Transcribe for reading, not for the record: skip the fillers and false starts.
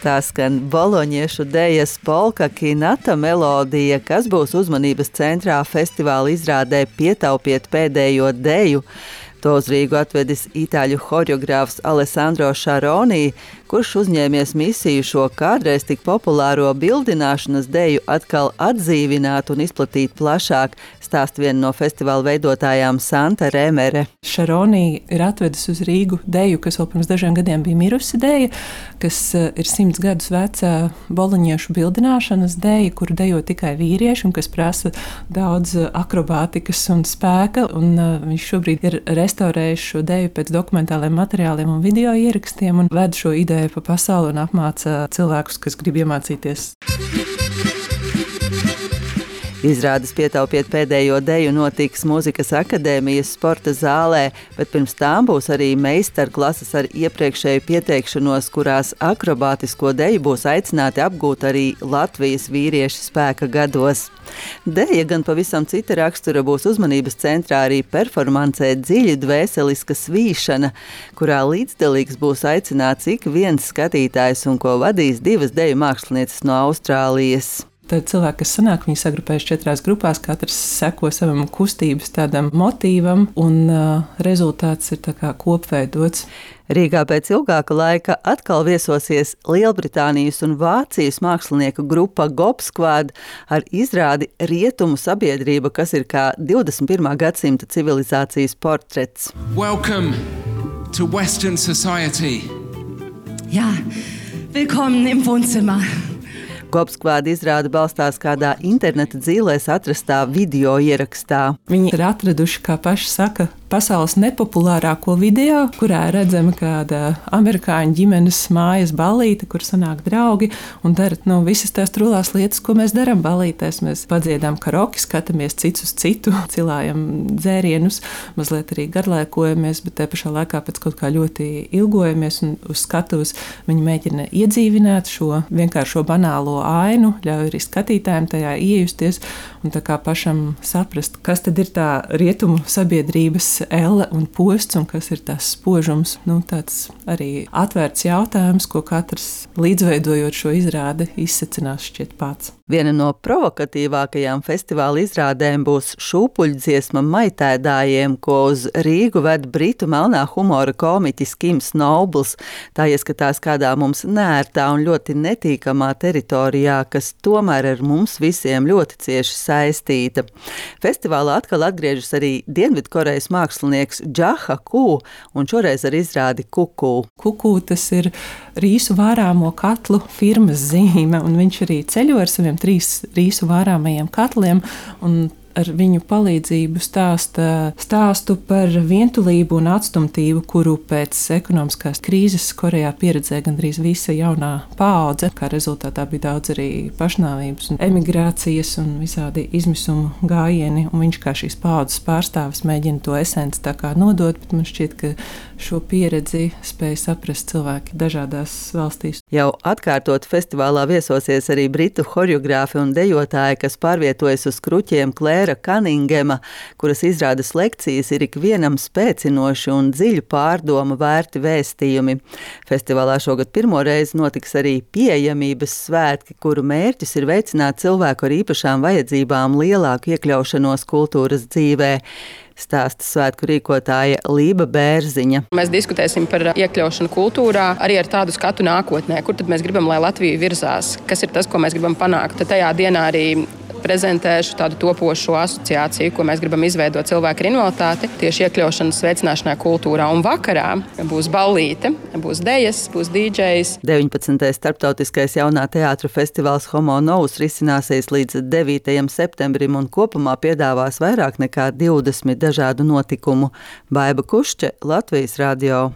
Tā skan boloņiešu dejas polka Kinata melodija, kas būs uzmanības centrā festivāla izrādē Pietaupiet pēdējo deju. To uz Rīgu atvedis itāļu horeogrāfs Alessandro Šaroni, kurš uzņēmies misiju šo kādreiz tik populāro bildināšanas deju atkal atdzīvināt un izplatīt plašāk, stāst viena no festivāla veidotājām Santa Remere. Šaroni ir atvedis uz Rīgu deju, kas vēl pirms dažiem gadiem bija mirusi deja, kas ir 100 gadus veca boloņiešu bildināšanas deja, kuru dejo tikai vīrieši un kas prasa daudz akrobātikas un spēka. Un viņš šobrīd ir restaurējis šo deju pēc dokumentāliem materiāliem un video ierakstiem un ved šo ideju pa pasauli un apmāca cilvēkus, kas grib iemācīties. Izrādes Pietaupiet pēdējo deju notiks Mūzikas akadēmijas sporta zālē, bet pirms tām būs arī meistarklases ar iepriekšēju pieteikšanos, kurās akrobātisko deju būs aicināti apgūt arī Latvijas vīrieši spēka gados. Deja gan pavisam cita rakstura būs uzmanības centrā arī performancē dziļi dvēseliska svīšana, kurā līdzdalīgs būs aicināts ik viens skatītājs un ko vadīs 2 deju mākslinieces no Austrālijas. Tad cilvēki, kas sanāk, viņi sagrupējas 4 grupās, katrs seko savam kustības tādam motīvam, un rezultāts ir tā kā kopveidots. Rīgā pēc ilgāka laika atkal viesosies Lielbritānijas un Vācijas mākslinieku grupa Gobsquad ar izrādi Rietumu sabiedrība, kas ir kā 21. gadsimta civilizācijas portrets. Welcome to Western society. Ja, willkommen im Wohnzimmer. Gobsquad izrāde balstās kādā interneta dzīlēs atrastā video ierakstā. Viņi ir atraduši, kā paši saka, pasaules nepopulārāko video, kurā redzama kāda amerikāņu ģimenes mājas ballīte, kur sanāk draugi un dara visas tās trulās lietas, ko mēs darām ballītēs. Mēs padziedām karoki, skatāmies cits uz citu, cilājam dzērienus, mazliet arī garlaikojamies, bet te pašā laikā pēc kaut kā ļoti ilgojamies un uz skatuves viņi mēģina iedzīvināt šo vienkāršo banālo ainu, ļauj arī skatītājiem tajā iejusties un tā kā pašam saprast, kas tad ir tā rietumu sabiedrības elle un posts un kas ir tās spožums. Tāds arī atvērts jautājums, ko katrs līdzveidojot šo izrādi izsecinās šķiet pats. Viena no provokatīvākajām festivāla izrādēm būs šūpuļdziesma maitēdājiem, ko uz Rīgu ved britu melnā humora komiķis Kims Nobles. Tā ieskatās kādā mums nērtā un ļoti netīkamā teritorijā, kas tomēr ar mums visiem ļoti cieši saistīta. Festivālā atkal atgriežas arī Dienvidkorejas mākslinieks Džaha Kū un šoreiz ar izrādi Kuku. Kuku tas ir rīsu vārāmo katlu firmas zīme, un viņš arī ceļo ar saviem 3 rīsu vārāmajiem katliem un ar viņu palīdzību stāstu par vientulību un atstumtību, kuru pēc ekonomiskās krīzes Korejā pieredzēja gandrīz visa jaunā paudze. Kā rezultātā bija daudz arī pašnāvības un emigrācijas un visādi izmisumu gājieni, un viņš kā šīs paudzes pārstāvis mēģina to esenci tā kā nodot, bet man šķiet, ka šo pieredzi spēja saprast cilvēki dažādās valstīs. Jau atkārtot festivālā viesosies arī britu horeogrāfi un dejotāji, kas pārvietojas uz kruķiem Klēra Kaningema, kuras izrādes lekcijas ir ikvienam spēcinoši un dziļu pārdomu vērti vēstījumi. Festivālā šogad pirmo reizi notiks arī pieejamības svētki, kuru mērķis ir veicināt cilvēku ar īpašām vajadzībām lielāku iekļaušanos kultūras dzīvē. Stāsta svētku rīkotāja Lība Bērziņa. Mēs diskutēsim par iekļaušanu kultūrā, arī ar tādu skatu nākotnē, kur tad mēs gribam, lai Latvija virzās, kas ir tas, ko mēs gribam panākt. Tad tajā dienā arī prezentēšu tādu topošu asociāciju, ko mēs gribam izveidot cilvēku ar invaliditāti, tieši iekļaušanas veicināšanā kultūrā. Un vakarā būs ballīte, būs dejas, būs DJs. 19. starptautiskais jaunā teātra festivāls Homo Novus risināsies līdz 9. septembrim un kopumā piedāvās vairāk nekā 20 dažādu notikumu. Baiba Kušķe, Latvijas radio.